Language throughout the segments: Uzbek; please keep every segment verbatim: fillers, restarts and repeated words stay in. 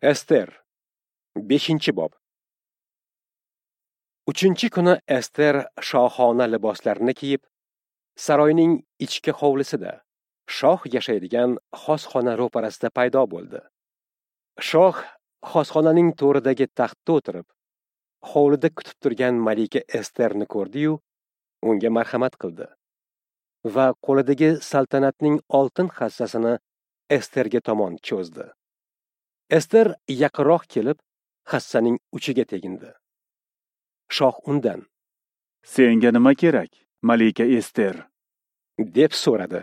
Ester, beshinchi bob. Uchinchi kuni Ester shohona liboslarini kiyib, saroyning ichki hovlisida, shoh yashaydigan xosxona ro'parasida paydo bo'ldi. Shoh xosxonaning to'ridagi taxtda o'tirib, hovlida kutib turgan malika Esterni ko'rdi-yu, unga marhamat qildi va qo'lidagi saltanatning oltin hassasini Esterga tomon cho'zdi. Ester yaqinroq kelib, hassaning uchiga tegindi. Shoh undan: "Senga nima kerak, malika Ester?" deb so'radi.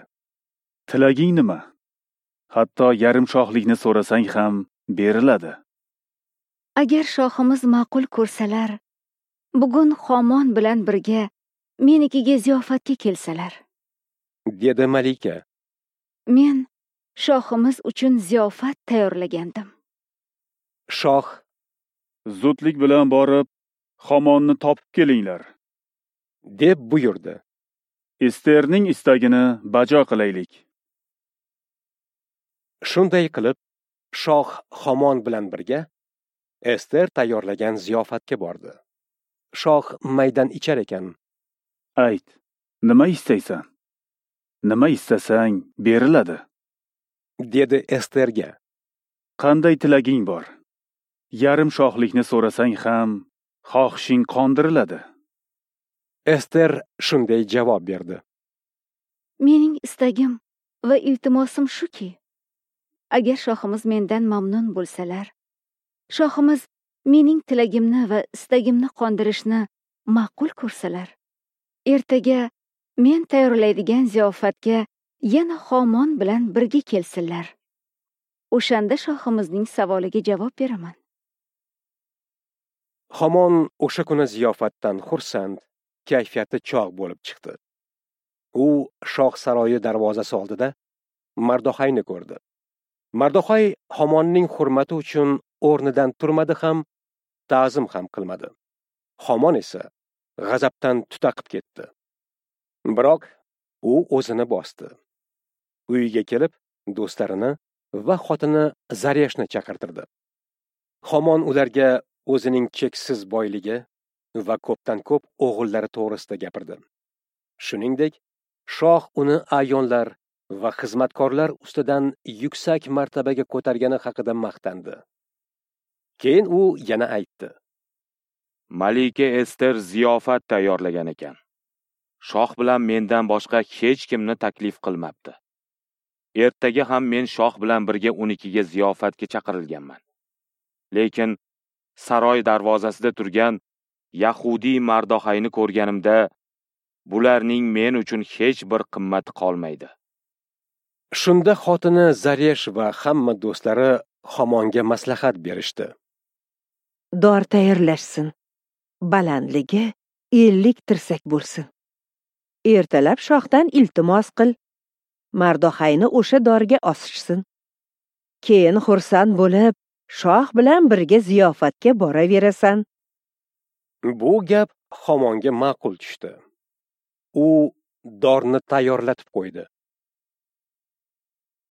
"Tilaging nima? Hatto yarim shohlikni so'rasang ham beriladi." Agar shohimiz ma'qul ko'rsalar, bugun Xomon bilan birga menikiga ziyofatga kelsalar, dedi malika. Men shohimiz uchun ziyofat tayyorlagandim. Shoh: "Zudlik bilan borib, Xomonni topib kelinglar," deb buyurdi. Esterning istagini bajo qilaylik. Shunday qilib, shoh Xomon bilan birga Ester tayyorlagan ziyofatga bordi. Shoh maydan ichar ekan: "Ayt, nima istaysan? Nima istasang beriladi," dedi Esterga. "Qanday tilaging bor? Yarim shohlikni so'rasang ham xohishing qondiriladi." Ester shunday javob berdi: "Mening istagim va iltimosim shuki, agar shohimiz mendan mamnun bo'lsalar, shohimiz mening tilagimni va istagimni qondirishni ma'qul ko'rsalar, ertaga men tayyorlaydigan ziyofatga yana Xomon bilan birga kelsinlar. O'shanda shohimizning savoliga javob beraman." Xomon o'sha kuni ziyofatdan xursand, kayfiyati chog' bo'lib chiqdi. U shoh saroyi darvozasi oldida Mardoxayni ko'rdi. Mardoxay Xomonning hurmati uchun o'rnidan turmadi ham, ta'zim ham qilmadi. Xomon esa g'azabdan tutaqib ketdi. Biroq u o'zini bosdi. Uyiga kelib, do'stlarini va xotini Zareshni chaqirtirdi. Xomon ularga o'zining cheksiz boyligi va ko'pdan ko'p o'g'illari to'g'risida gapirdi. Shuningdek, shoh uni ayonlar va xizmatkorlar ustidan yuksak martabaga ko'targani haqida maqtandi. Keyin u yana aytdi: "Malika Ester ziyofat tayyorlagan ekan. Shoh bilan mendan boshqa hech kimni taklif qilmabdi. Ertaga ham men shoh bilan birga unikiga ziyofatga chaqirilganman. Lekin saroy darvozasida turgan yahudiy Mardoxayni ko'rganimda bularning men uchun hech bir qimmati qolmaydi." Shunda xotini Zaresh va hamma do'stlari Xomonga maslahat berishdi. "Dor tayyorlashsin. Balandligi ellik tirsak bo'lsin. Ertalab shohdan iltimos qil. Mardoxayni o'sha dorga osishsin. Keyin xursand bo'lib, shoh bilan birga ziyofatga boraverasan." Bu gap Xomonga ma'qul tushdi. U dorni tayyorlatib qo'ydi.